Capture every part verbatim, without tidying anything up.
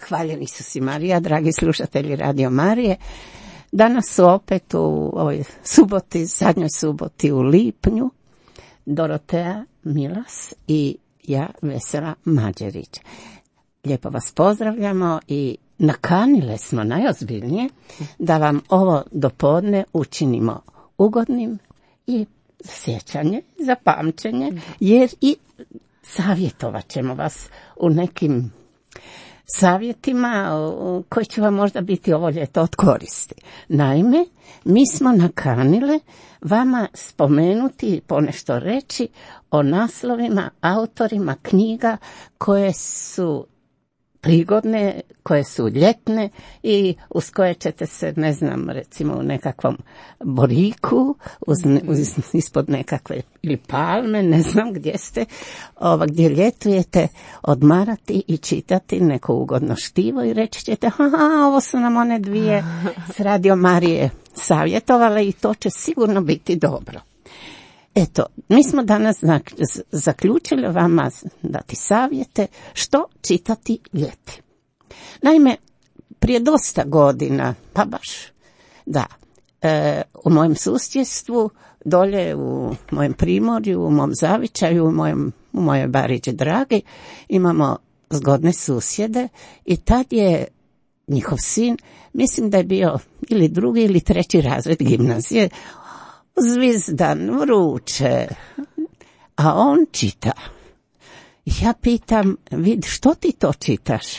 Hvaljen Isus i Marija, dragi slušatelji Radio Marije. Danas su opet u ovoj suboti, zadnjoj suboti u lipnju, Dorotea Milas i ja, Vesela Mađerić. Lijepo vas pozdravljamo i nakanile smo najozbiljnije da vam ovo dopodne učinimo ugodnim i za sjećanje, za pamćenje, jer i savjetovat ćemo vas u nekim savjetima koji će vam možda biti ovo ljeto od koristi. Naime, mi smo nakanile vama spomenuti i ponešto reći o naslovima, autorima knjiga koje su prigodne, koje su ljetne i uz koje ćete se, ne znam, recimo u nekakvom boriku, uz, uz, ispod nekakve ili palme, ne znam gdje ste, ova, gdje ljetujete, odmarati i čitati neko ugodno štivo i reći ćete, aha, ovo su nam one dvije s Radio Marije savjetovale i to će sigurno biti dobro. Eto, mi smo danas zaključili vama dati savjete što čitati ljeti. Naime, prije dosta godina, pa baš, da, e, u mojem susjedstvu, dolje u mojem primorju, u mom zavičaju, u, mojem, u mojoj Bariđi Dragi, imamo zgodne susjede i tad je njihov sin, mislim da je bio ili drugi ili treći razred gimnazije, zvizdan, vruće, a on čita. Ja pitam, vid, što ti to čitaš?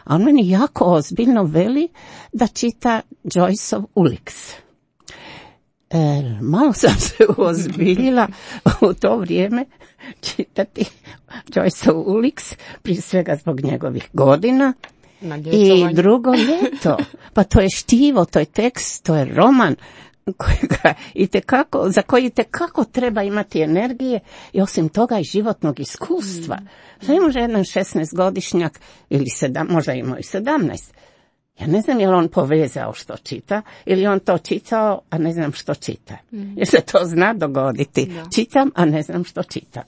A on meni jako ozbiljno veli da čita Joyceov Ulix. E, malo sam se ozbiljila u to vrijeme čitati Joyceov Ulix, prije svega zbog njegovih godina. I drugo ljeto, pa to je štivo, to je tekst, to je roman, kojega itekako, za koji itekako treba imati energije i osim toga i životnog iskustva. Mm. Ne može jedan šesnaestogodišnjak ili sedam, možda imao i sedamnaest. Ja ne znam je li on povezao što čita ili on to čitao, a ne znam što čita. Mm. Jer se to zna dogoditi. Da. Čitam, a ne znam što čitam.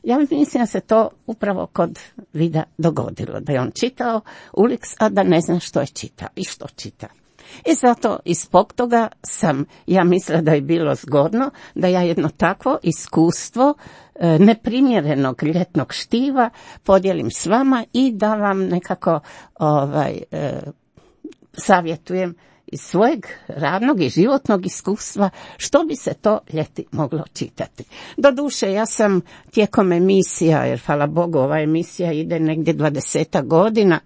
Ja mislim da se to upravo kod Vida dogodilo. Da je on čitao Ulix, a da ne zna što je čitao i što čita. I zato ispod toga sam, ja mislila da je bilo zgodno da ja jedno takvo iskustvo e, neprimjerenog ljetnog štiva podijelim s vama i da vam nekako ovaj, e, savjetujem iz svojeg radnog i životnog iskustva što bi se to ljeti moglo čitati. Doduše, ja sam tijekom emisija, jer hvala Bogu ova emisija ide negdje dvadesetak godina,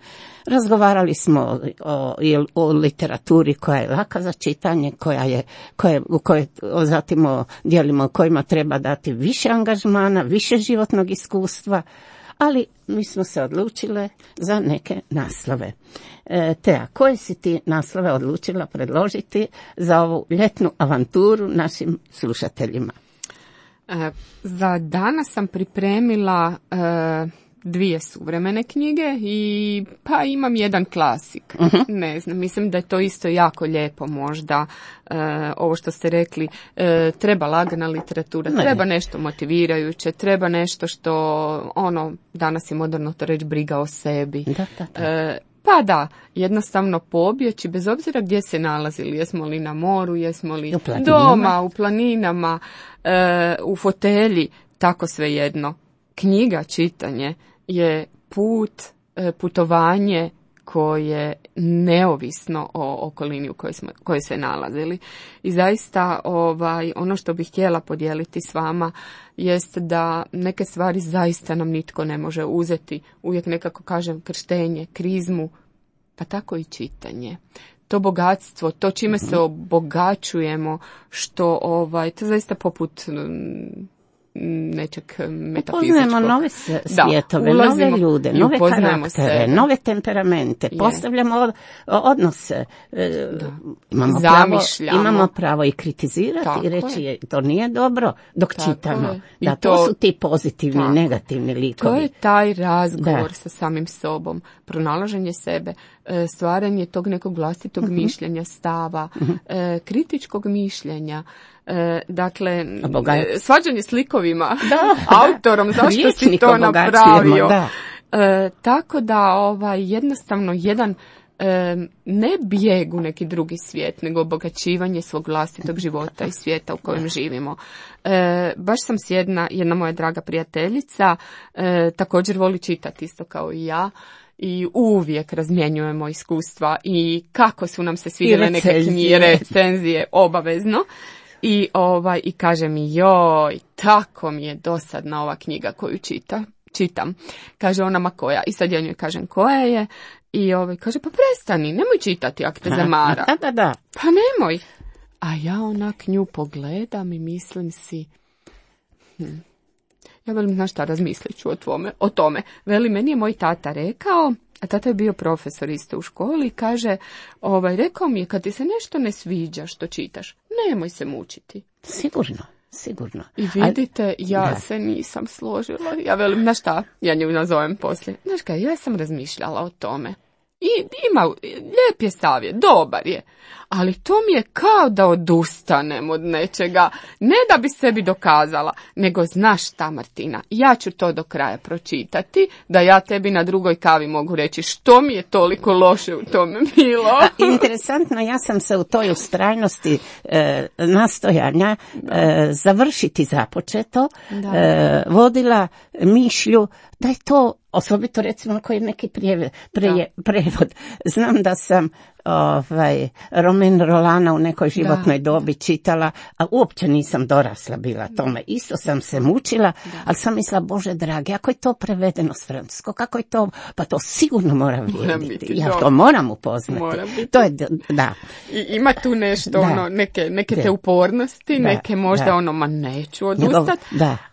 razgovarali smo o, o, o literaturi koja je laka za čitanje, koja je, koje, u kojoj zatim o dijelima u kojima treba dati više angažmana, više životnog iskustva, ali mi smo se odlučile za neke naslove. E, Tea, koje si ti naslove odlučila predložiti za ovu ljetnu avanturu našim slušateljima? E, za danas sam pripremila e, dvije suvremene knjige i pa imam jedan klasik. Uh-huh. Ne znam, mislim da je to isto jako lijepo možda. E, ovo što ste rekli, e, treba lagana literatura, ne. Treba nešto motivirajuće, treba nešto što, ono, danas je moderno to reći, briga o sebi. Da, da, da. E, Pa da, jednostavno pobjeći, bez obzira gdje se nalazili, jesmo li na moru, jesmo li u doma, u planinama, e, u fotelji, tako svejedno. Knjiga, čitanje je put, e, putovanje koje neovisno o okolini u kojoj smo, kojoj se nalazili. I zaista ovaj, ono što bih htjela podijeliti s vama jest da neke stvari zaista nam nitko ne može uzeti. Uvijek nekako kažem krštenje, krizmu, pa tako i čitanje. To bogatstvo, to čime se obogaćujemo, što ovaj, to zaista poput nečeg metafizičkog. Upoznajemo nove svjetove, da, nove ljude, nove karaktere, se. nove temperamente, je. Postavljamo od, odnose, da. imamo, pravo, imamo pravo i kritizirati tako i reći je. To nije dobro dok tako čitamo. Da, to, to su ti pozitivni, tako. negativni likovi. To je taj razgovor da. sa samim sobom, pronalaženje sebe, stvaranje tog nekog vlastitog uh-huh. mišljenja, stava, uh-huh. kritičkog mišljenja. E, dakle, svađanje s likovima, da, autorom, da. zašto si to napravio. Da. E, tako da ovaj, jednostavno jedan e, ne bijeg u neki drugi svijet, nego obogaćivanje svog vlastitog života i svijeta u kojem živimo. E, baš sam s jedna, jedna moja draga prijateljica, e, također voli čitati isto kao i ja, i uvijek razmjenjujemo iskustva i kako su nam se svidjele neke knjige, recenzije, obavezno. I, ovaj, i kaže mi, joj, tako mi je dosadna ova knjiga koju čita, čitam. Kaže ona, ma koja? I sad ja njoj kažem koja je. I ovaj, kaže, pa prestani, nemoj čitati ako te zamara. Da, da, da. Pa nemoj. A ja onak nju pogledam i mislim si, hm, ja velim, znaš šta, razmislit ću o, tvome, o tome. Veli, meni je moj tata rekao, a tata je bio profesor isto u školi, kaže, ovaj, rekao mi je, kad ti se nešto ne sviđa što čitaš, nemoj se mučiti. Sigurno, sigurno. I vidite, A, ja da. se nisam složila. Ja velim, znaš šta, ja nju nazovem poslije. Znaš kaj, ja sam razmišljala o tome. I ima, lijep je savjet, dobar je, ali to mi je kao da odustanem od nečega, ne da bi sebi dokazala, nego znaš šta, Martina, ja ću to do kraja pročitati, da ja tebi na drugoj kavi mogu reći što mi je toliko loše u tome bilo. A, interesantno, ja sam se u toj ustrajnosti e, nastojanja e, završiti započeto, e, vodila mišlju da je to, osobito recimo koji je neki prijeve, preje, prevod. Znam da sam ovaj, Romain Rolana u nekoj životnoj da. dobi čitala, a uopće nisam dorasla bila tome. Isto sam se mučila, da. ali sam mislila, Bože dragi, ako je to prevedeno s francuskog, kako je to, pa to sigurno mora vrijediti. Ja to moram upoznati. Mora to je, da. I ima tu nešto, da. ono, neke, neke te upornosti, da. neke možda da. ono, ma neću odustati,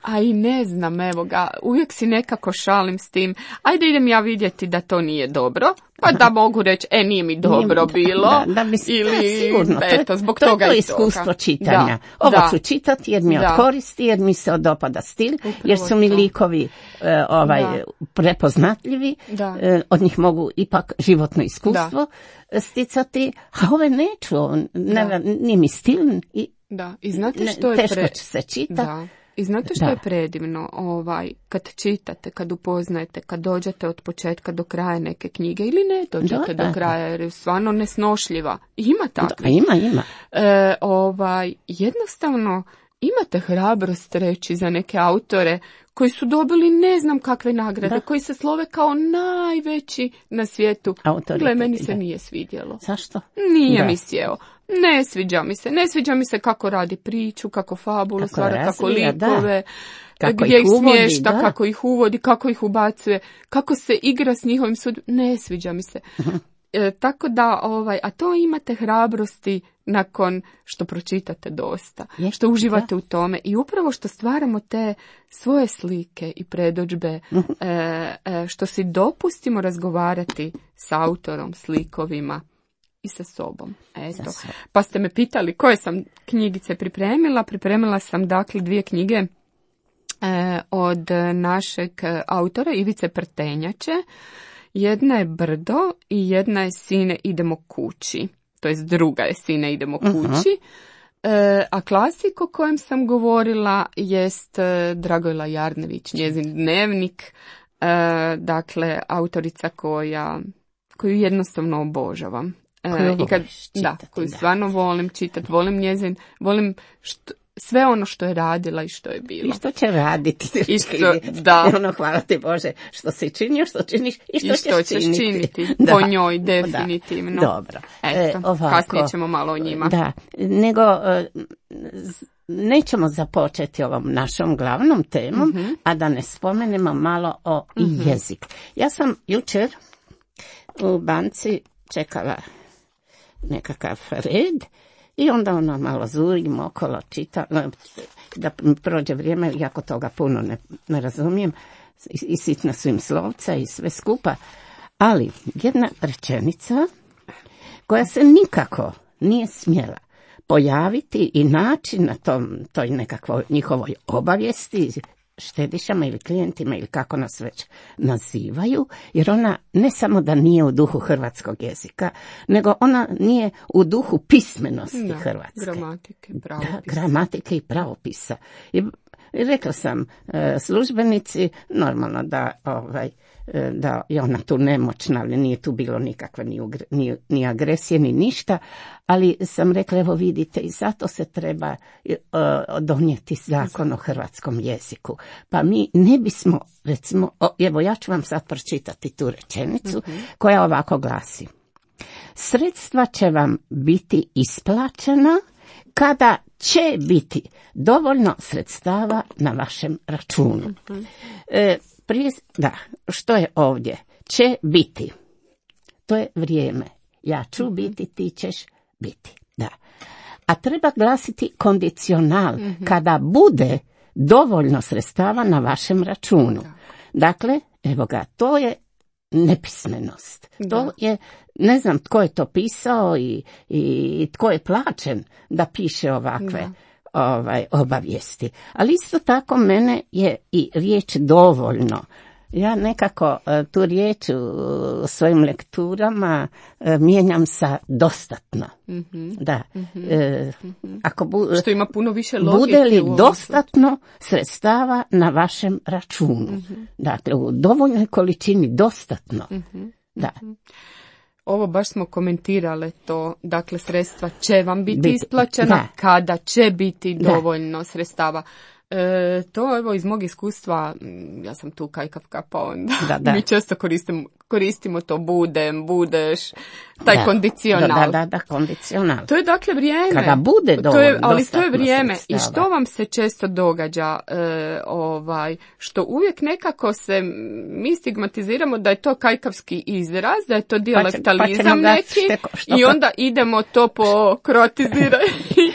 a i ne znam, evo ga, uvijek si nekako šalim s tim, ajde idem ja vidjeti da to nije dobro, pa da mogu reći, e, nije mi dobro nije, bilo, da, da mi, ili, da, sigurno, eto, zbog to, toga to je i iskustvo toga. čitanja. Da, Ovo da. ću čitati jer mi da. odkoristi, jer mi se odopada stil, Upravo jer su mi likovi uh, ovaj, da. prepoznatljivi, da. Uh, od njih mogu ipak životno iskustvo da. sticati, a ove neću, ne, nije mi stil. I, da, i znate što je teško pre... će se čita. Da. I znate što da. je predivno, ovaj, kad čitate, kad upoznajete, kad dođete od početka do kraja neke knjige ili ne dođete da, do kraja jer je stvarno nesnošljiva. Ima takvih. Da, ima, ima. E, ovaj, jednostavno imate hrabrost reći za neke autore koji su dobili ne znam kakve nagrade, da. koji se slove kao najveći na svijetu. Autori, Gle, meni se da. nije svidjelo. Zašto? Nije da. mi sjeo. Ne sviđa mi se. Ne sviđa mi se kako radi priču, kako fabulu kako stvara, razvija, kako likove, kako gdje ih smješta, da. kako ih uvodi, kako ih ubacuje, kako se igra s njihovim sudom. Ne sviđa mi se. Uh-huh. E, tako da, ovaj, a to imate hrabrosti nakon što pročitate dosta, Je, što uživate da. u tome i upravo što stvaramo te svoje slike i predodžbe, uh-huh. e, e, što si dopustimo razgovarati s autorom, s likovima i sa sobom. Eto. Pa ste me pitali koje sam knjigice pripremila. Pripremila sam dakle dvije knjige e, od našeg autora Ivice Prtenjače. Jedna je Brdo i jedna je Sine idemo kući. To jest druga je Sine idemo kući. Uh-huh. E, a klasik o kojem sam govorila jest Dragojla Jarnević, njezin dnevnik. E, dakle, autorica koja, koju jednostavno obožavam. Koju I kad, čitati, da, koju da. stvarno volim čitati, volim njezin, volim što, sve ono što je radila i što je bilo. I što će raditi. I što, da. Ono, hvala ti Bože, što si činio, što činiš i što, I što ćeš činiti. činiti. Da. Po njoj, definitivno. Da. Dobro. Eto, e, ovako, kasnije ćemo malo o njima. Da, nego nećemo započeti ovom našom glavnom temom, mm-hmm. a da ne spomenemo malo o mm-hmm. jezik. Ja sam jučer u banci čekala nekakav red i onda ono malo zurim okolo, čita, da prođe vrijeme, jako toga puno ne, ne razumijem, i, i sitna su im slovca i sve skupa, ali jedna rečenica koja se nikako nije smjela pojaviti i naći na tom, toj nekakvoj njihovoj obavijesti, štedišama ili klijentima ili kako nas već nazivaju, jer ona ne samo da nije u duhu hrvatskog jezika, nego ona nije u duhu pismenosti da, hrvatske. Gramatike, pravopisa. Da, gramatike i pravopisa. I rekla sam, službenici, normalno da ovaj, da je ona tu nemoćna, ali nije tu bilo nikakve ni, ni, ni agresije, ni ništa, ali sam rekla, evo vidite, i zato se treba uh, donijeti zakon o hrvatskom jeziku. Pa mi ne bismo, recimo, o, evo ja ću vam sad pročitati tu rečenicu, mm-hmm. koja ovako glasi. Sredstva će vam biti isplaćena kada će biti dovoljno sredstava na vašem računu. Mm-hmm. E, prije, da, što je ovdje? Će biti. To je vrijeme. Ja ću mm-hmm. biti, ti ćeš biti. Da. A treba glasiti kondicional, mm-hmm. kada bude dovoljno sredstava na vašem računu. Da. Dakle, evo ga, to je nepismenost. Da. To je, ne znam tko je to pisao i, i tko je plaćen da piše ovakve da. Ovaj, obavijesti. Ali isto tako mene je i riječ dovoljno. Ja nekako tu riječ u svojim lekturama mijenjam sa dostatno. Mm-hmm. Da. Mm-hmm. E, ako bu, što ima puno više logike. Bude li dostatno sredstava na vašem računu? Mm-hmm. Dakle, u dovoljnoj količini dostatno. Mm-hmm. Da. Ovo baš smo komentirale to, dakle sredstva će vam biti, biti isplaćena, da. Kada će biti dovoljno da. Sredstava. E, to evo iz mog iskustva, ja sam tu kajkavka, pa onda da, da. Mi često koristimo, koristimo to budem, budeš, taj da. Kondicional. Da, da, da, kondicional. To je dakle vrijeme. Kada bude dovoljno, to je, ali to je vrijeme. Sredstava. I što vam se često događa, e, ovaj, što uvijek nekako se mi stigmatiziramo da je to kajkavski izraz, da je to dijalektalizam pa će, pa neki šteko, što i onda idemo to pokrotizirati.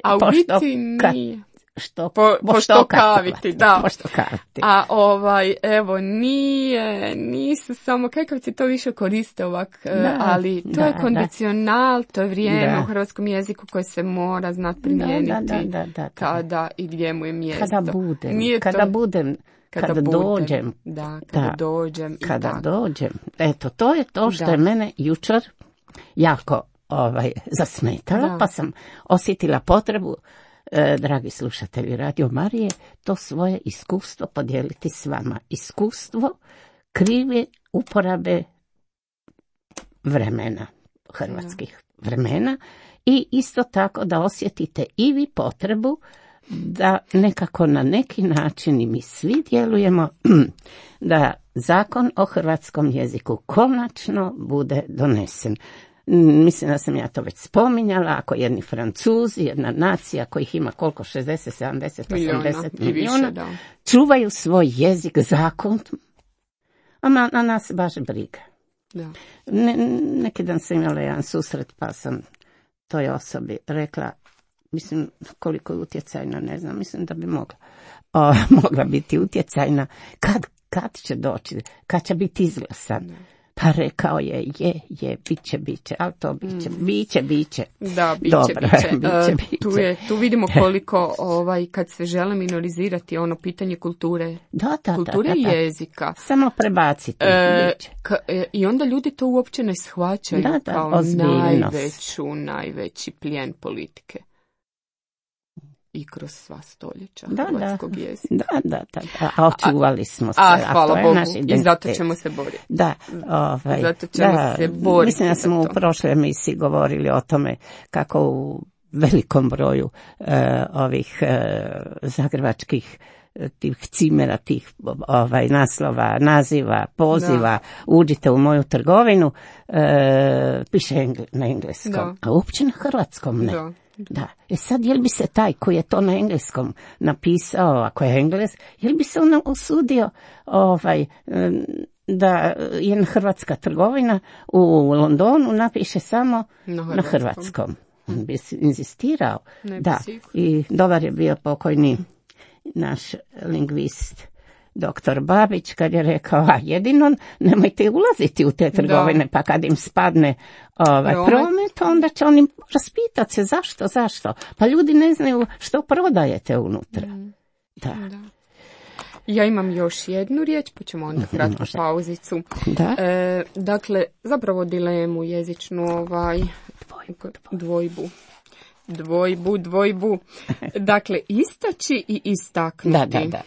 A u biti nije. Što, po, po što kaviti, da. Po što kaviti. A ovaj, evo, nije, nisu samo kajkavci, to više koriste ovak, da, ali to da, je kondicional, da. To je vrijeme da. U hrvatskom jeziku koje se mora znati primijeniti da, da, da, da, da. Kada i gdje mu je mjesto. Kada budem, nije kada to, budem, kada, kada budem, dođem. Da, kada da, dođem. Kada i dođem. Eto, to je to što da. Je mene jučer jako ovaj, zasmetalo, da. Pa sam osjetila potrebu, E, dragi slušatelji Radio Marije, to svoje iskustvo podijeliti s vama. Iskustvo krive uporabe vremena, hrvatskih da. Vremena i isto tako da osjetite i vi potrebu da nekako na neki način i mi svi djelujemo da zakon o hrvatskom jeziku konačno bude donesen. Mislim da sam ja to već spominjala, ako jedni Francuzi, jedna nacija kojih ima koliko, šezdeset, sedamdeset, osamdeset milijuna, više, čuvaju svoj jezik, zakon, a na, na nas baš briga. Da. Ne, neki dan sam imala jedan susret, pa sam toj osobi rekla, mislim koliko je utjecajna, ne znam, mislim da bi mogla, o, mogla biti utjecajna, kad, kad će doći, kad će biti izglasan. Da. Pa rekao je, je, je, bit će, bit će, ali to bit će, bit će, bit će. Da, bit će, Dobro, bit će. bit će, bit tu, je, tu vidimo koliko, ovaj, kad se žele minorizirati ono pitanje kulture, da, da, kulture da, da, da. I jezika. Samo prebaciti. E, ka, e, I onda ljudi to uopće ne shvaćaju da, da, kao najveću, najveći plijen politike. I kroz sva stoljeća da, hrvatskog da, jezika. Da, da, da, da. A očuvali smo se. A, hvala a Bogu. I zato ćemo se boriti. Da, ovaj, zato ćemo da, se boriti. Mislim da smo u prošloj emisiji govorili o tome kako u velikom broju e, ovih e, zagrebačkih tih cimera, tih ovaj, naslova, naziva, poziva, da. Uđite u moju trgovinu, e, piše engl- na engleskom, da. A uopće na hrvatskom ne. Da. Da. E sad, jel bi se taj koji je to na engleskom napisao, ako je Engles, jel bi se on usudio ovaj, da je hrvatska trgovina u Londonu napiše samo na hrvatskom? Na hrvatskom. On bi inzistirao. Ne da. Bi I dobar je bio pokojni naš lingvist doktor Babić kad je rekao, a jedino nemojte ulaziti u te trgovine, da. Pa kad im spadne ovaj promet, onda će oni raspitati se zašto, zašto. Pa ljudi ne znaju što prodajete unutra. Mm. Da. Da. Ja imam još jednu riječ, pa ćemo onda kratku pauzicu. Da. E, dakle, zapravo dilemu jezičnu, ovaj, dvojbu, dvojbu. Dvojbu, dvojbu. Dakle, istaći i istaknuti. Da, da, da.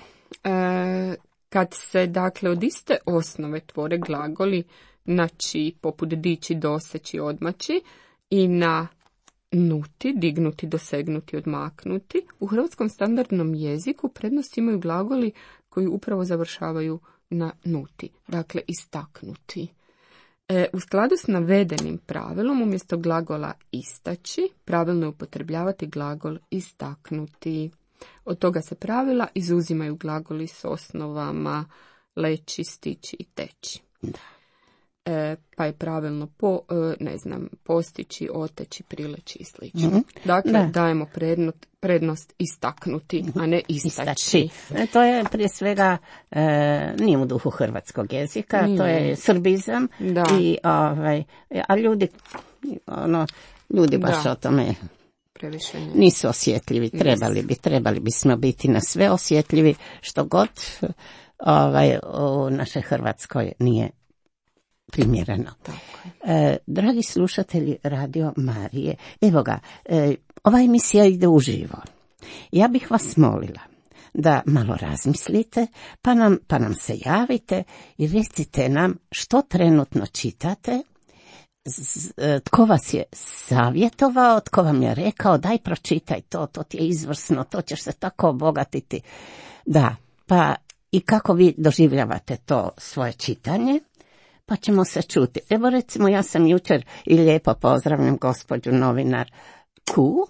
E, Kad se, dakle, od iste osnove tvore glagoli na či, poput dići, doseći, odmaći, i na nuti, dignuti, dosegnuti, odmaknuti, u hrvatskom standardnom jeziku prednost imaju glagoli koji upravo završavaju na nuti, dakle istaknuti. E, u skladu s navedenim pravilom, umjesto glagola istaći, pravilno je upotrebljavati glagol istaknuti. Od toga se pravila izuzimaju glagoli s osnovama leći, stići i teći. E, pa je pravilno po, e, ne znam, postići, oteći, prileći i slično. Mm-hmm. Dakle, da. dajemo prednost, prednost istaknuti, a ne istaći. istaći. E, to je prije svega, e, nije u duhu hrvatskog jezika, nije. To je srbizam, da. I, ovaj, a ljudi, ono, ljudi baš da. o tome nisu osjetljivi, trebali bi, trebali bismo biti na sve osjetljivi, što god ovaj, u našoj Hrvatskoj nije primjereno. E, dragi slušatelji Radio Marije, evo ga, e, ova emisija ide uživo. Ja bih vas molila da malo razmislite, pa nam, pa nam se javite i recite nam što trenutno čitate, z, tko vas je savjetovao, tko vam je rekao daj pročitaj to, to ti je izvrsno, to ćeš se tako obogatiti. Da, pa i kako vi doživljavate to svoje čitanje, pa ćemo se čuti. Evo recimo, ja sam jučer i lijepo pozdravljam gospođu novinar Ku,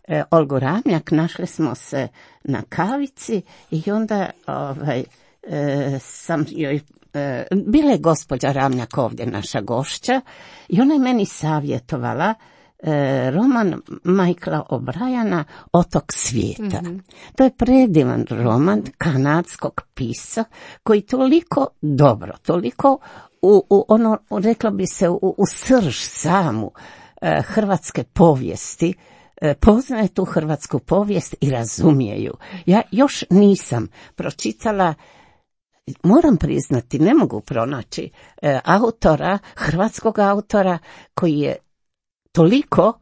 e, Olgu Ramljak, našli smo se na kavici i onda ovaj, e, sam joj, e, bila je gospođa Ramljak ovdje naša gošća i ona je meni savjetovala e, roman Michaela O'Briana Otok svijeta. Mm-hmm. To je predivan roman kanadskog pisca koji toliko dobro, toliko U, u ono, reklo bi se, u, u srž samu e, hrvatske povijesti, e, poznaje tu hrvatsku povijest i razumije ju. Ja još nisam pročitala, moram priznati, ne mogu pronaći e, autora, hrvatskog autora koji je toliko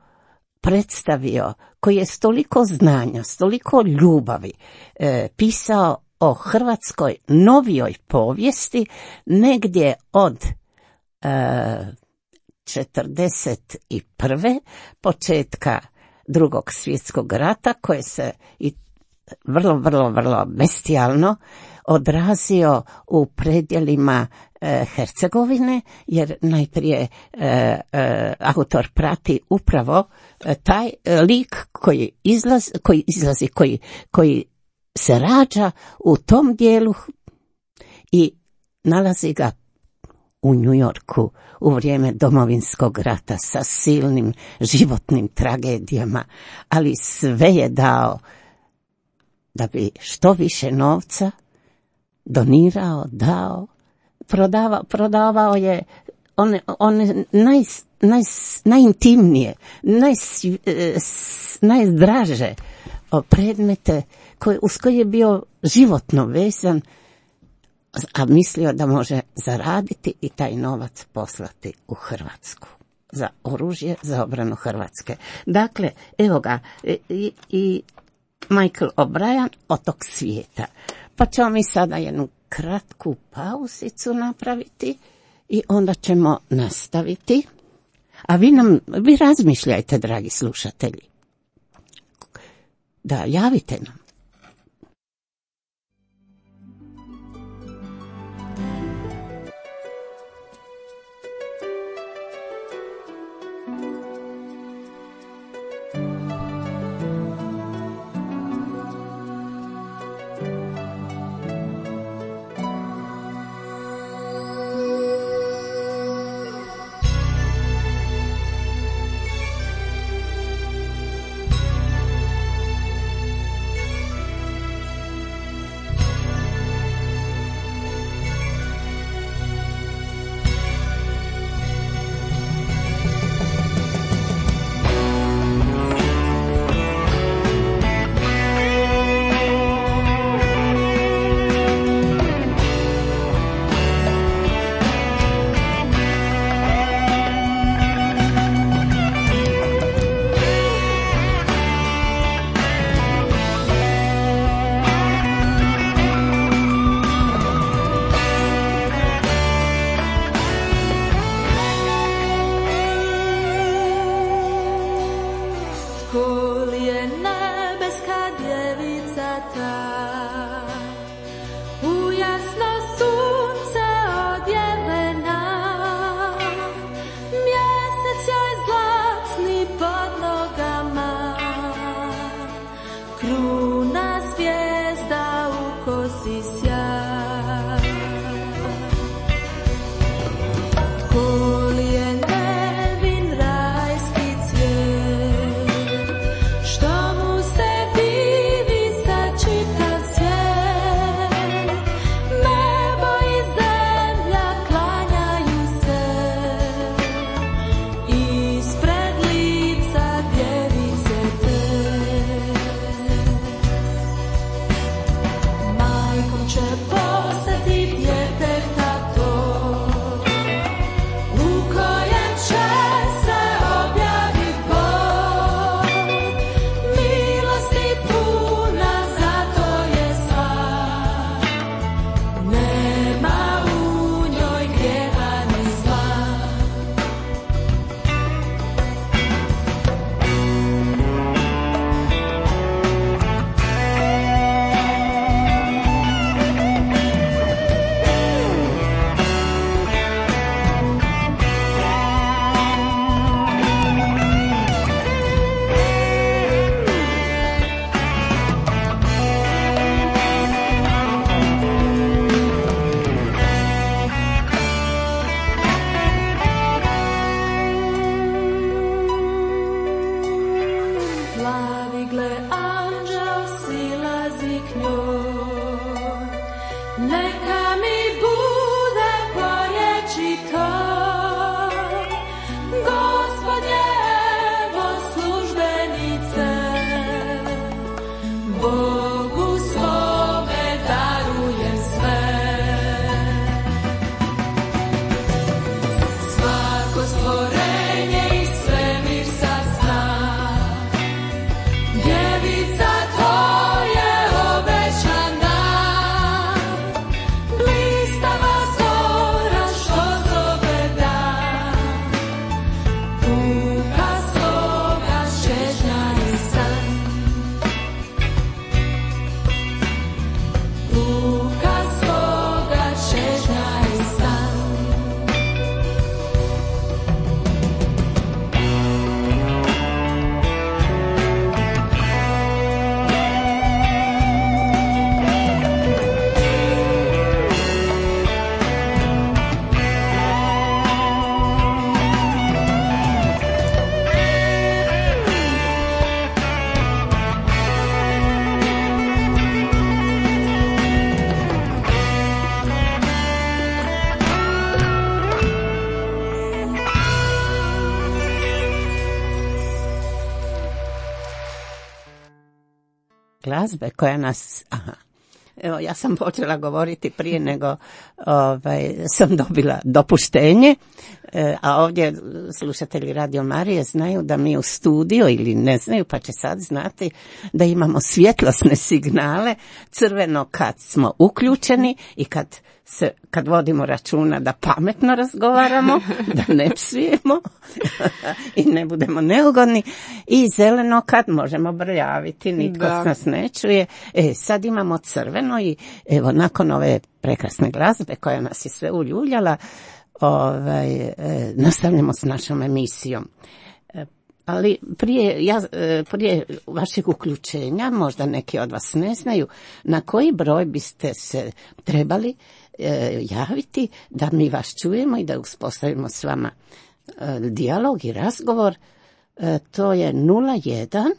predstavio, koji je s toliko znanja, s toliko ljubavi e, pisao o hrvatskoj novijoj povijesti negdje od e, četrdeset prve početka Drugog svjetskog rata, koje se i vrlo, vrlo, vrlo bestijalno odrazio u predjelima e, Hercegovine, jer najprije e, e, autor prati upravo e, taj lik koji izlazi, koji, izlazi, koji, koji se rađa u tom dijelu i nalazi ga u New Yorku u vrijeme Domovinskog rata sa silnim životnim tragedijama, ali sve je dao da bi što više novca donirao, dao, prodavao, prodavao je one, one naj, naj, najintimnije, naj, najzdraže predmete koje, uz koje je bio životno vezan, a mislio da može zaraditi i taj novac poslati u Hrvatsku za oružje za obranu Hrvatske. Dakle, evo ga, i, i Michael O'Brian, Otok svijeta. Pa ćemo mi sada jednu kratku pauzicu napraviti i onda ćemo nastaviti. A vi nam, vi razmišljajte, dragi slušatelji. Da, javite nam. glazbe koja nas... Aha. Evo, ja sam počela govoriti prije nego ovaj, sam dobila dopuštenje, e, a ovdje slušatelji Radio Marije znaju da mi u studiju, ili ne znaju, pa će sad znati da imamo svjetlosne signale, crveno kad smo uključeni i kad se, kad vodimo računa da pametno razgovaramo, da ne psujemo i ne budemo neugodni, i zeleno kad možemo brljaviti, nitko da. nas ne čuje. E, sad imamo crveno i evo, nakon ove prekrasne glazbe koja nas je sve uljuljala, ovaj, e, nastavljamo s našom emisijom. E, ali prije, ja, prije vašeg uključenja, možda neki od vas ne znaju, na koji broj biste se trebali e, javiti da mi vas čujemo i da uspostavimo s vama e, dijalog i razgovor. E, to je nula jedan,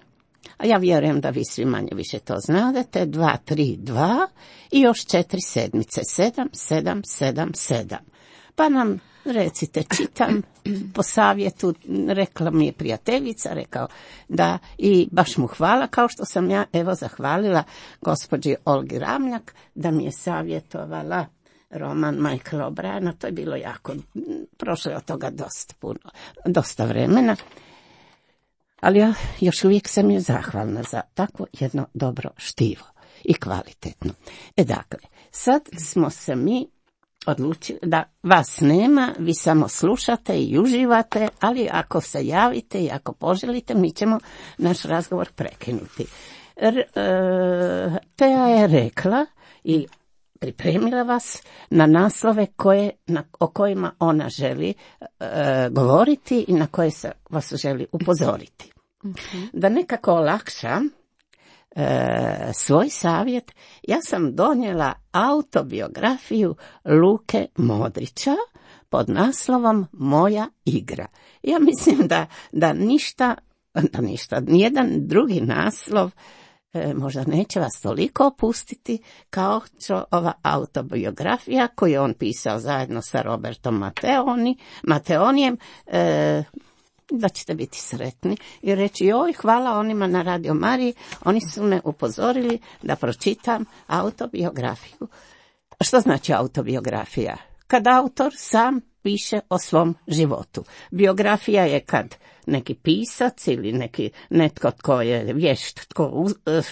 a ja vjerujem da vi svi manje više to znadete, dva tri dva i još četiri sedmice, sedam sedam sedam sedam. Pa nam recite, čitam po savjetu, rekla mi je prijateljica, rekao da, i baš mu hvala, kao što sam ja evo zahvalila gospođi Olgi Ramljak da mi je savjetovala roman Michaela O'Briena. To je bilo jako, prošlo je od toga dosta puno, dosta vremena, ali ja još uvijek sam je zahvalna za takvo jedno dobro štivo i kvalitetno. E dakle, sad smo se mi odlučili da vas nema, vi samo slušate i uživate, ali ako se javite i ako poželite, mi ćemo naš razgovor prekinuti. R, e, Teja je rekla i pripremila vas na naslove koje, na, o kojima ona želi e, govoriti i na koje se vas želi upozoriti. Mm-hmm. Da nekako olakša E, svoj savjet, ja sam donijela autobiografiju Luke Modrića pod naslovom Moja igra. Ja mislim da, da ništa, da ništa, nijedan drugi naslov e, možda neće vas toliko opustiti kao što ova autobiografija koju on pisao zajedno sa Robertom Mateoni, Mateonijem, e, da ćete biti sretni i reći joj, hvala onima na Radio Mariji, oni su me upozorili da pročitam autobiografiju. Što znači autobiografija? Kad autor sam piše o svom životu. Biografija je kad neki pisac ili neki netko tko je vješt, tko,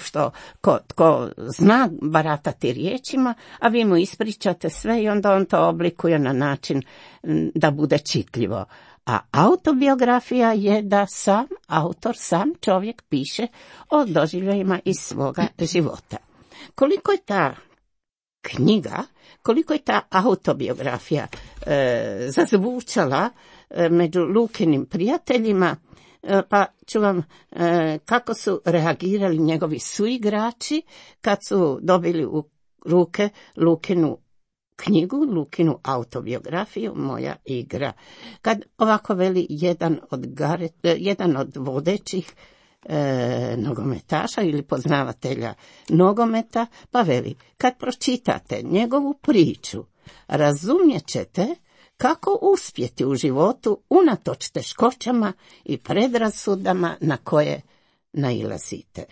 što, ko, tko zna baratati riječima, a vi mu ispričate sve i onda on to oblikuje na način da bude čitljivo. A autobiografija je da sam autor, sam čovjek piše o doživljajima iz svoga života. Koliko je ta knjiga, koliko je ta autobiografija e, zazvučala e, među Lukinim prijateljima, e, pa ću vam e, kako su reagirali njegovi suigrači kad su dobili u ruke Lukinu knjigu, Lukinu autobiografiju, Moja igra. Kad ovako veli jedan od, gare, jedan od vodećih E, nogometaša ili poznavatelja nogometa, pa veli, kad pročitate njegovu priču, razumjet ćete kako uspjeti u životu unatoč teškoćama i predrasudama na koje nailazite.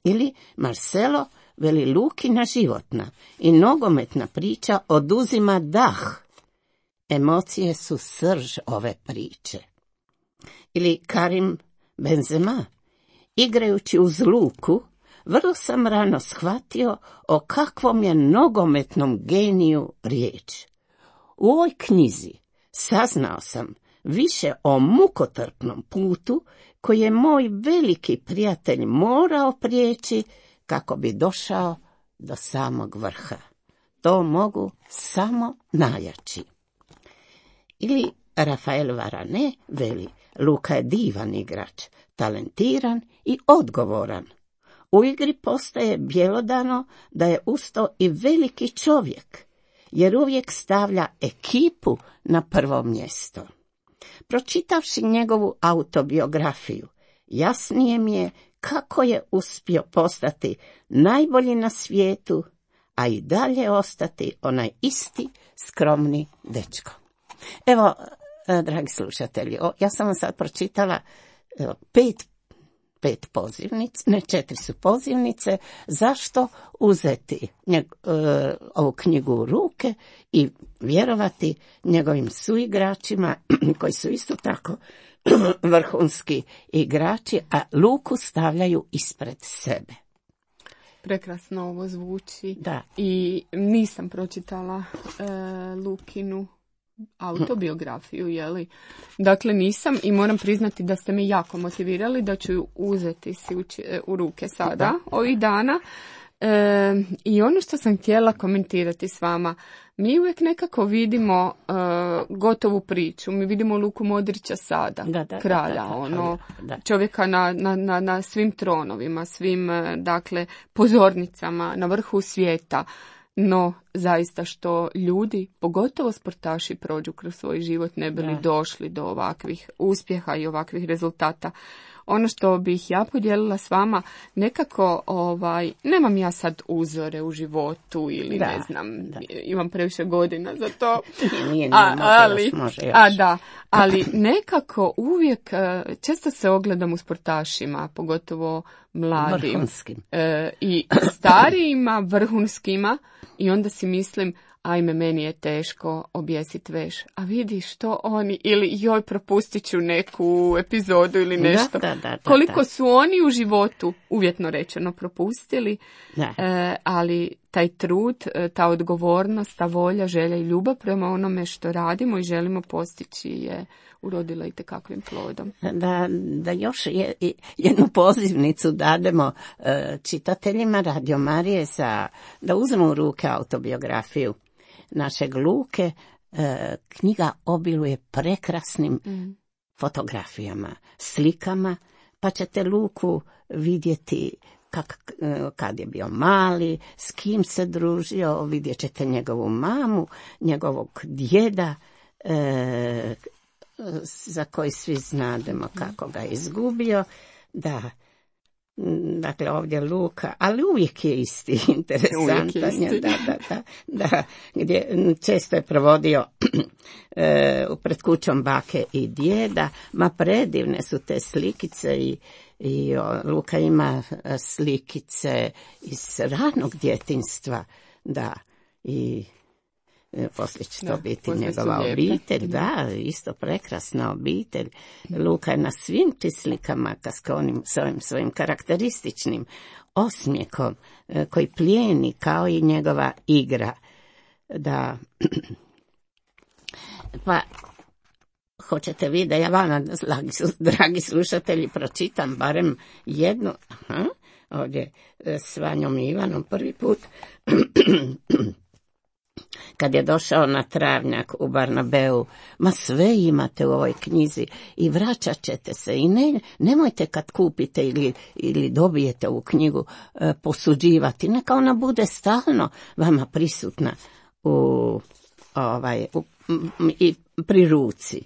Ili Marcelo veli, Lukina životna i nogometna priča oduzima dah. Emocije su srž ove priče. Ili Karim Benzema, igrajući uz Luku, vrlo sam rano shvatio o kakvom je nogometnom geniju riječ. U ovoj knjizi saznao sam više o mukotrpnom putu koji je moj veliki prijatelj morao prijeći kako bi došao do samog vrha. To mogu samo najjači. Ili Rafael Varane veli, Luka je divan igrač, talentiran i odgovoran. U igri postaje bjelodano da je usto i veliki čovjek, jer uvijek stavlja ekipu na prvo mjesto. Pročitavši njegovu autobiografiju, jasnije mi je kako je uspio postati najbolji na svijetu, a i dalje ostati onaj isti skromni dečko. Evo, dragi slušatelji, ja sam vam sad pročitala pet, pet pozivnic, ne četiri su pozivnice, zašto uzeti njeg, ovu knjigu u ruke i vjerovati njegovim suigračima, koji su isto tako vrhunski igrači, a Luku stavljaju ispred sebe. Prekrasno ovo zvuči. Da. I nisam pročitala e, Lukinu autobiografiju, jeli? Dakle, nisam i moram priznati da ste me jako motivirali da ću ju uzeti si u, u ruke sada, da. ovih dana. E, I ono što sam htjela komentirati s vama, mi uvijek nekako vidimo uh, gotovu priču, mi vidimo Luku Modrića sada, da, da, kralja, da, da, da, ono, da. čovjeka na, na, na, na svim tronovima, svim, dakle, pozornicama, na vrhu svijeta. No, zaista što ljudi, pogotovo sportaši, prođu kroz svoj život, ne bi li došli do ovakvih uspjeha i ovakvih rezultata. Ono što bih ja podijelila s vama, nekako, ovaj, nemam ja sad uzore u životu ili da, ne znam, da. imam previše godina za to. Nije, nije, a, može ali, još, može još. A da, ali nekako uvijek, često se ogledam u sportašima, pogotovo mladim. Vrhunskim. E, I starijima, vrhunskima, i onda si mislim, ajme, meni je teško objesiti veš. A vidi što oni, ili joj, propustit ću neku epizodu ili nešto. Da, da, da, Koliko da. su oni u životu, uvjetno rečeno, propustili, e, ali taj trud, ta odgovornost, ta volja, želja i ljubav prema onome što radimo i želimo postići je urodila i tekakvim plodom. Da, da još je, jednu pozivnicu dademo e, čitateljima Radio Marije za, da uzmu u ruke autobiografiju našeg Luke. E, knjiga obiluje prekrasnim mm. fotografijama, slikama, pa ćete Luku vidjeti kak, kad je bio mali, s kim se družio, vidjet ćete njegovu mamu, njegovog djeda, e, za koji svi znademo kako ga je izgubio. Da, dakle ovdje Luka, ali uvijek je isti, interesantan je, isti. Da, da, da, da, gdje često je provodio e, pred kućom bake i djeda, ma predivne su te slikice i, i o, Luka ima slikice iz ranog djetinjstva, da, i poslije će to da, biti njegova obitelj, da, isto prekrasna obitelj. Luka je na svim ti slikama s onim svojim, svojim karakterističnim osmijekom koji plijeni kao i njegova igra. Da, pa hoćete vi da ja vama, dragi slušatelji, pročitam barem jednu, aha, ovdje s Vanjom i Ivanom prvi put, kad je došao na travnjak u Barnabeu, ma sve imate u ovoj knjizi i vraćat ćete se i ne, nemojte kad kupite ili, ili dobijete ovu knjigu e, posuđivati, neka ona bude stalno vama prisutna u, ovaj, u, i pri ruci.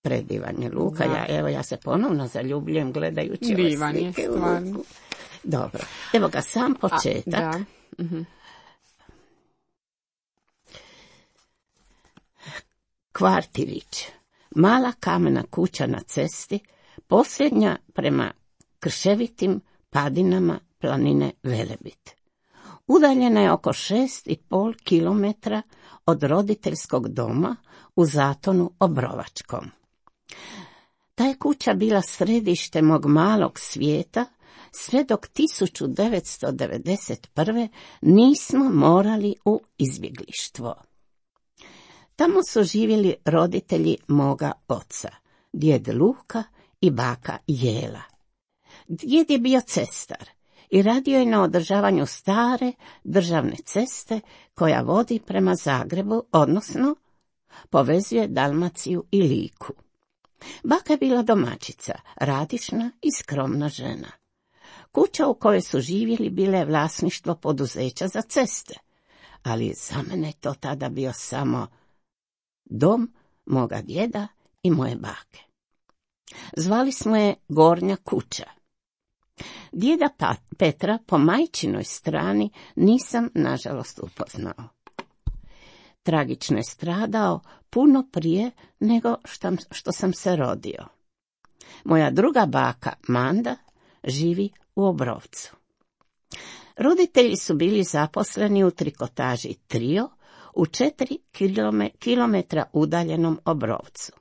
Predivan je Luka, ja, evo ja se ponovno zaljubljujem gledajući ove slike u Luku. Dobro, evo ga sam početak. A, da. Mhm. Kvartirić, mala kamena kuća na cesti, posljednja prema krševitim padinama planine Velebit. Udaljena je oko šest i pol kilometra od roditeljskog doma u Zatonu Obrovačkom. Ta je kuća bila središte mog malog svijeta, sve dok tisuću devetsto devedeset prve nismo morali u izbjeglištvo. Tamo su živjeli roditelji moga oca, djed Luka i baka Jela. Djed je bio cestar i radio je na održavanju stare državne ceste koja vodi prema Zagrebu, odnosno povezuje Dalmaciju i Liku. Baka je bila domaćica, radišna i skromna žena. Kuća u kojoj su živjeli bila je vlasništvo poduzeća za ceste, ali za mene je to tada bio samo dom moga djeda i moje bake. Zvali smo je Gornja kuća. Djeda Petra po majčinoj strani nisam nažalost upoznao. Tragično je stradao puno prije nego što, što sam se rodio. Moja druga baka Manda živi u Obrovcu. Roditelji su bili zaposleni u trikotaži Trio u četiri kilometra udaljenom Obrovcu.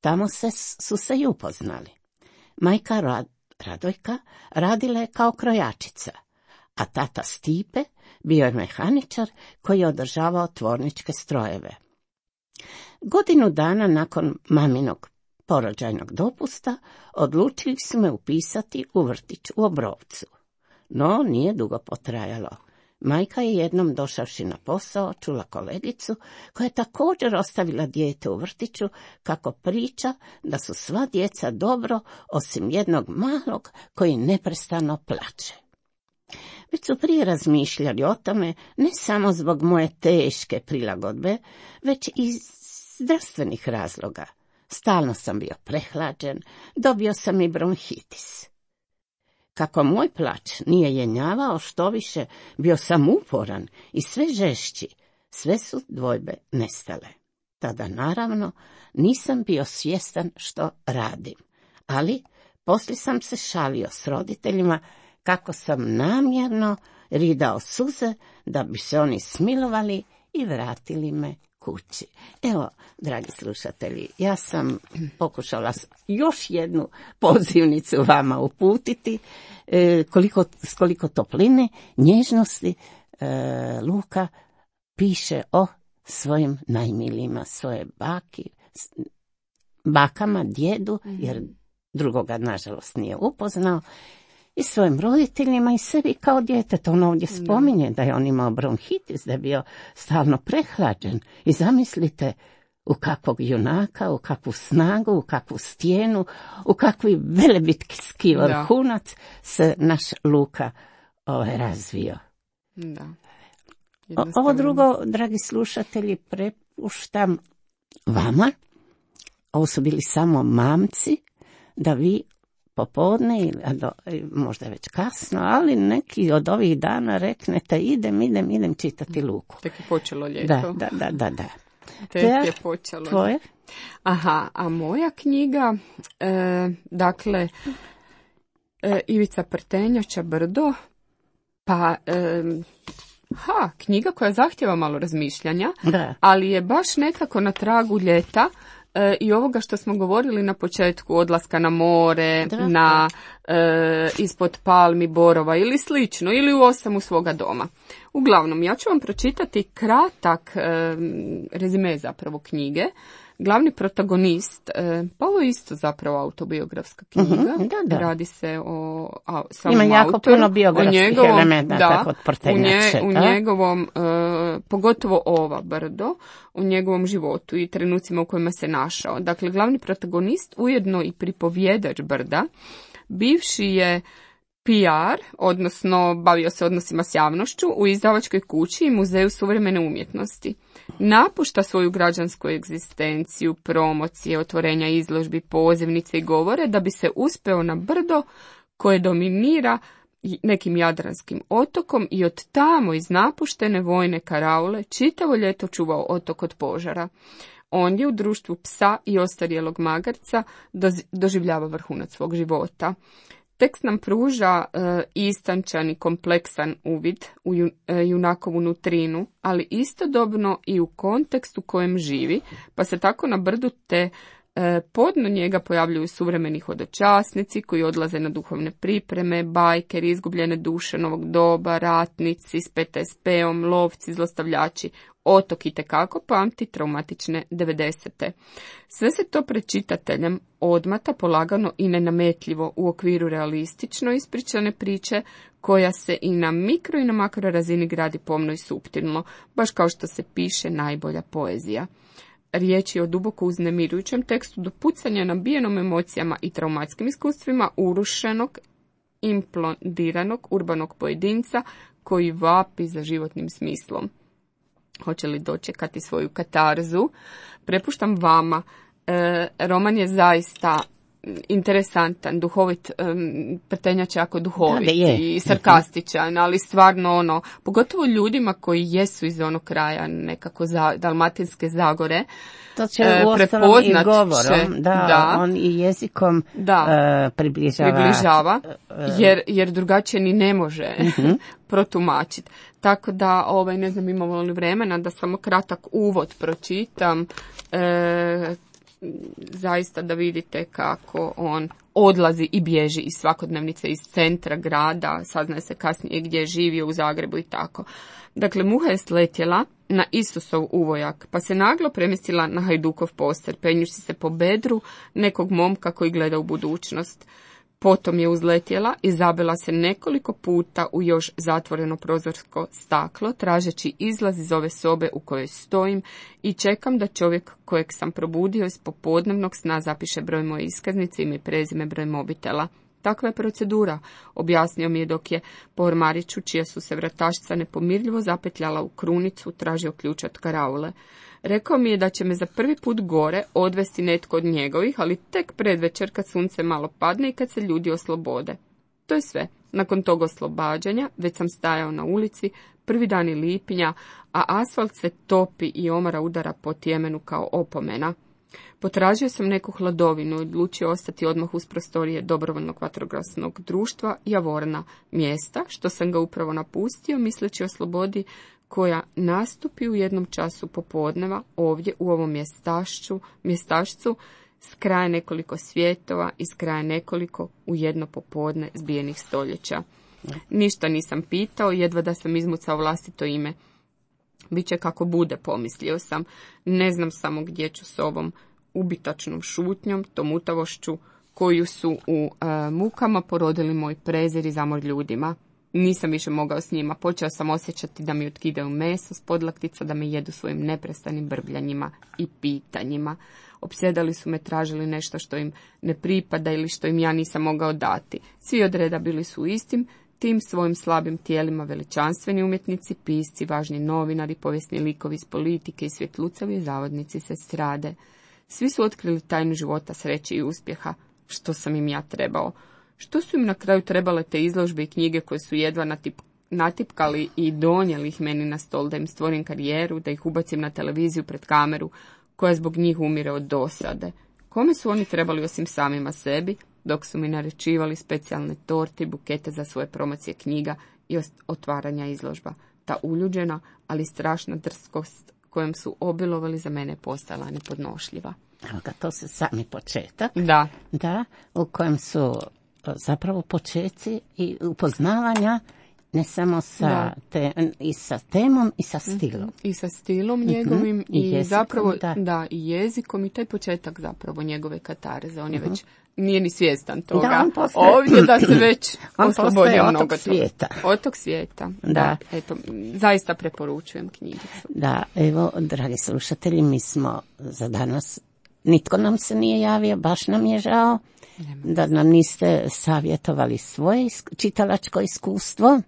Tamo se, su se i upoznali. Majka Rad, Radojka radila je kao krojačica, a tata Stipe bio je mehaničar koji je održavao tvorničke strojeve. Godinu dana nakon maminog porođajnog dopusta odlučili su me upisati u vrtić u Obrovcu. No, nije dugo potrajalo. Majka je jednom došavši na posao čula kolegicu koja je također ostavila dijete u vrtiću kako priča da su sva djeca dobro osim jednog malog koji neprestano plače. Već su prije razmišljali o tome ne samo zbog moje teške prilagodbe, već i iz zdravstvenih razloga. Stalno sam bio prehlađen, dobio sam i bronhitis. Kako moj plač nije jenjavao, što više bio sam uporan i sve žešći, sve su dvojbe nestale. Tada naravno nisam bio svjestan što radim, ali poslije sam se šalio s roditeljima kako sam namjerno ridao suze da bi se oni smilovali i vratili me kući. Evo, dragi slušatelji, ja sam pokušala još jednu pozivnicu vama uputiti, e, koliko, s koliko topline, nježnosti e, Luka piše o svojim najmilijima, svoje baki, bakama, djedu, jer drugoga nažalost nije upoznao, i svojim roditeljima i sebi kao djetetu. On ovdje spominje da je on imao bronhitis, da je bio stalno prehlađen. I zamislite u kakvog junaka, u kakvu snagu, u kakvu stijenu, u kakvi velebitski vrhunac se naš Luka ovaj, razvio. Da. Ovo drugo, dragi slušatelji, prepuštam vama. Ovo su bili samo mamci, da vi popodne, ili do, možda je već kasno, ali neki od ovih dana reknete idem, idem, idem čitati Luku. Tek je počelo ljeto. Da, da, da, da. da. Tek je počelo. Tvoje? Aha, a moja knjiga, e, dakle, e, Ivica Prtenjača, Brdo, pa... E, Ha, knjiga koja zahtjeva malo razmišljanja, da. Ali je baš nekako na tragu ljeta e, i ovoga što smo govorili na početku, odlaska na more, da. na e, ispod palmi, borova ili slično, ili u osamu svoga doma. Uglavnom, ja ću vam pročitati kratak e, rezime zapravo knjige. Glavni protagonist, e, pa ovo je isto zapravo autobiografska knjiga, uh-huh, da, da. Radi se o a, samom Ima jako autoru, puno biografskih njegovom, elementa kod Prtenjače. U, nje, u njegovom, e, pogotovo ova Brdo, u njegovom životu i trenucima u kojima se našao. Dakle, glavni protagonist, ujedno i pripovjedač Brda, bivši je P R, odnosno bavio se odnosima s javnošću u izdavačkoj kući i muzeju suvremene umjetnosti. Napušta svoju građansku egzistenciju, promocije, otvorenja izložbi, pozivnice i govore da bi se uspeo na Brdo koje dominira nekim jadranskim otokom i od tamo iz napuštene vojne karaule čitavo ljeto čuvao otok od požara. Ondje u društvu psa i ostarjelog magarca doživljava vrhunac svog života. Tekst nam pruža e, istančan i kompleksan uvid u ju, e, junakovu nutrinu, ali istodobno i u kontekstu kojem živi, pa se tako na Brdu te e, podno njega pojavljuju suvremeni hodočasnici koji odlaze na duhovne pripreme, bajkeri, izgubljene duše novog doba, ratnici s P T S P-om, lovci, zlostavljači. Otok itekako pamti traumatične devedesete. Sve se to pred čitateljem odmata polagano i nenametljivo u okviru realistično ispričane priče koja se i na mikro i na makro razini gradi pomno i suptilno, baš kao što se piše najbolja poezija. Riječ je o duboko uznemirujućem tekstu do pucanja nabijenom emocijama i traumatskim iskustvima urušenog, implodiranog urbanog pojedinca koji vapi za životnim smislom. Hoće li dočekati svoju katarzu? Prepuštam vama. E, roman je zaista interesantan, duhovit, um, Prtenjač je jako duhovit da, da je. I sarkastičan, ali stvarno ono, pogotovo ljudima koji jesu iz onog kraja nekako za Dalmatinske Zagore, to će e, uostalom i govorom, će, da, da, on i jezikom da, uh, približava, približava jer, jer drugačije ni ne može uh-huh. protumačiti. Tako da, ovaj, ne znam, imamo li vremena da samo kratak uvod pročitam, e, zaista da vidite kako on odlazi i bježi iz svakodnevnice, iz centra grada, saznaje se kasnije gdje je živio u Zagrebu i tako. Dakle, muha je sletjela na Isusov uvojak, pa se naglo premjestila na Hajdukov poster, penjući se po bedru nekog momka koji gleda u budućnost. Potom je uzletjela i zabila se nekoliko puta u još zatvoreno prozorsko staklo, tražeći izlaz iz ove sobe u kojoj stojim i čekam da čovjek kojeg sam probudio iz popodnevnog sna zapiše broj moje iskaznice, ime i prezime, broj mobitela. Takva je procedura, objasnio mi je dok je po ormariću, čija su se vratašca nepomirljivo zapetljala u krunicu, tražio ključ od karaule. Rekao mi je da će me za prvi put gore odvesti netko od njegovih, ali tek predvečer kad sunce malo padne i kad se ljudi oslobode. To je sve. Nakon tog oslobađanja već sam stajao na ulici, prvi dani lipnja, a asfalt se topi i omara udara po tjemenu kao opomena. Potražio sam neku hladovinu i odlučio ostati odmah uz prostorije dobrovoljnog vatrogasnog društva Javorna, mjesta što sam ga upravo napustio misleći o slobodi koja nastupi u jednom času popodneva ovdje u ovom mjestašću, mjestašcu s kraja nekoliko svjetova i s kraja nekoliko u jedno popodne zbijenih stoljeća. Ništa nisam pitao, jedva da sam izmucao vlastito ime. Biće kako bude, pomislio sam. Ne znam samo gdje ću s ovom ubitačnom šutnjom, tom utavošću koju su u e, mukama porodili moj prezir i zamor ljudima. Nisam više mogao s njima, počeo sam osjećati da mi otkidaju meso s podlaktica, da me jedu svojim neprestanim brbljanjima i pitanjima. Opsjedali su me, tražili nešto što im ne pripada ili što im ja nisam mogao dati. Svi od reda bili su istim, tim svojim slabim tijelima veličanstveni umjetnici, pisci, važni novinari, povijesni likovi iz politike i svjetlucavi zavodnici se strade. Svi su otkrili tajnu života, sreće i uspjeha. što sam im ja trebao. Što su im na kraju trebale te izložbe i knjige koje su jedva natip, natipkali i donijeli ih meni na stol da im stvorim karijeru, da ih ubacim na televiziju pred kameru, koja zbog njih umire od dosade. Kome su oni trebali osim samima sebi, dok su mi naređivali specijalne torte i bukete za svoje promocije knjiga i otvaranja izložba. Ta uljuđena, ali strašna drskost kojom su obilovali za mene postala nepodnošljiva. Evo ga, to se sami početak. Da. Da, u kojem su zapravo počeci i upoznavanja ne samo sa te, i sa temom i sa stilom. I sa stilom njegovim mm-hmm. i, I jezikom, zapravo da. da i jezikom i taj početak zapravo njegove katareze. On je mm-hmm. već nije ni svjestan toga. Da, on postaje, ovdje da se već oslobodio mnogo otok svijeta. Otok svijeta. Da. da. Eto, zaista preporučujem knjigicu. Da, evo, dragi slušatelji, mi smo za danas, nitko nam se nije javio, baš nam je žao da nam niste savjetovali svoje čitalačko iskustvo,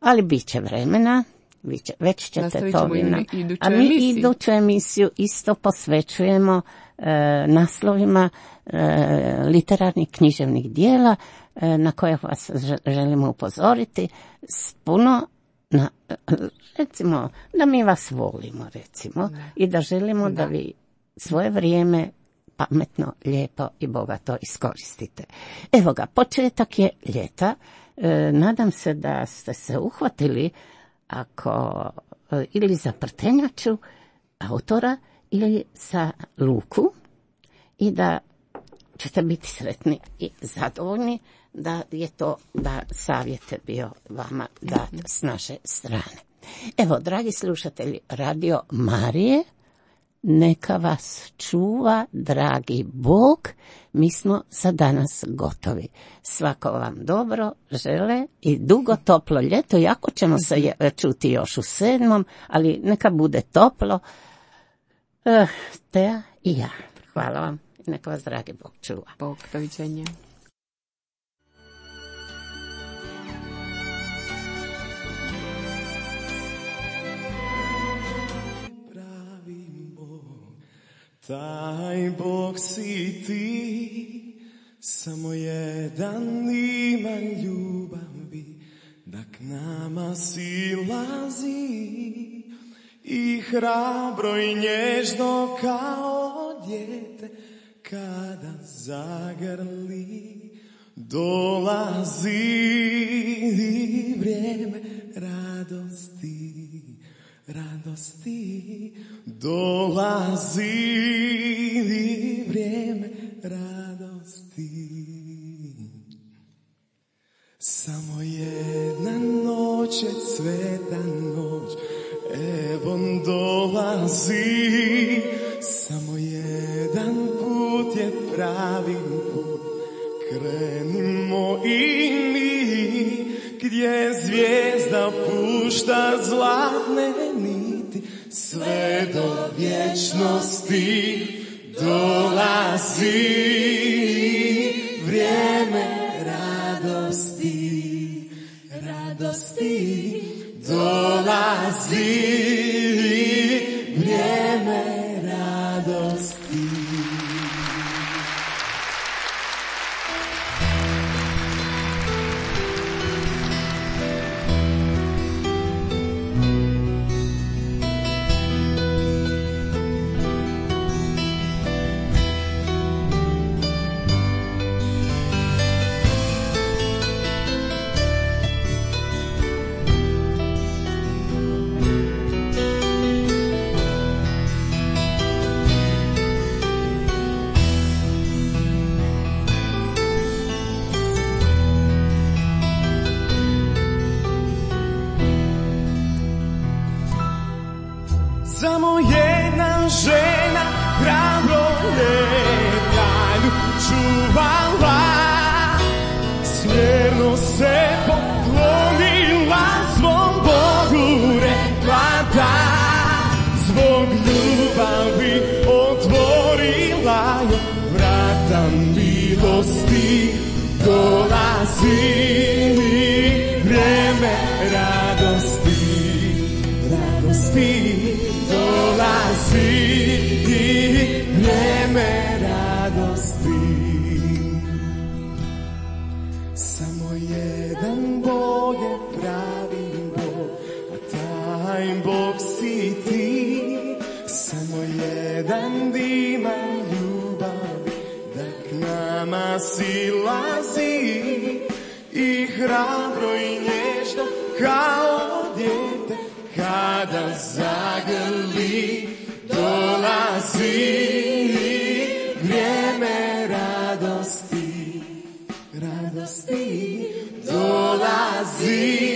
ali bit će vremena, bit će, već ćete to vina. A mi emisiju. iduću emisiju isto posvećujemo e, naslovima e, literarnih književnih dijela e, na koje vas želimo upozoriti s puno, na, recimo, da mi vas volimo, recimo, ne. i da želimo da, da vi svoje vrijeme pametno, lijepo i bogato iskoristite. Evo ga, početak je ljeta. E, nadam se da ste se uhvatili ako e, ili za prtenjaču autora ili za luku i da ćete biti sretni i zadovoljni da je to da savjet je bio vama dat s naše strane. Evo, dragi slušatelji Radio Marije, neka vas čuva, dragi Bog, mi smo za danas gotovi. Svako vam dobro žele i dugo toplo ljeto, jako ćemo se čuti još u sedmom, ali neka bude toplo. Uh, Teja i ja. Hvala vam. Neka vas dragi Bog čuva. Bog, doviđenja. Taj Bog si ti, samo jedan ima ljubavi, da k nama silazi i hrabro i nježno kao dijete, kada zagrli dolazi vrijeme radosti. Radosti dolazi vrijeme radosti. Samo jedna noć je sveta noć, evo dolazi. Samo jedan put je pravi put, krenimo i mi, gdje zvijezda pušta zlatne niti, sve do vječnosti dolazi vrijeme radosti, radosti dolazi vrijeme radosti. Samo jedna žena hrabro je dalju čuvala, smjerno se poklonila svom Bogu, rekla da, zbog ljubavi otvorila je vrata milosti, dolazi vrijeme radosti, radosti. Dolazi vrijeme radosti. Bog si ti, samo jedan diman ljubavi da k nama silazi i hrabro i nježno kao dijete kada zagrli dolazi vrijeme radosti, radosti dolazi.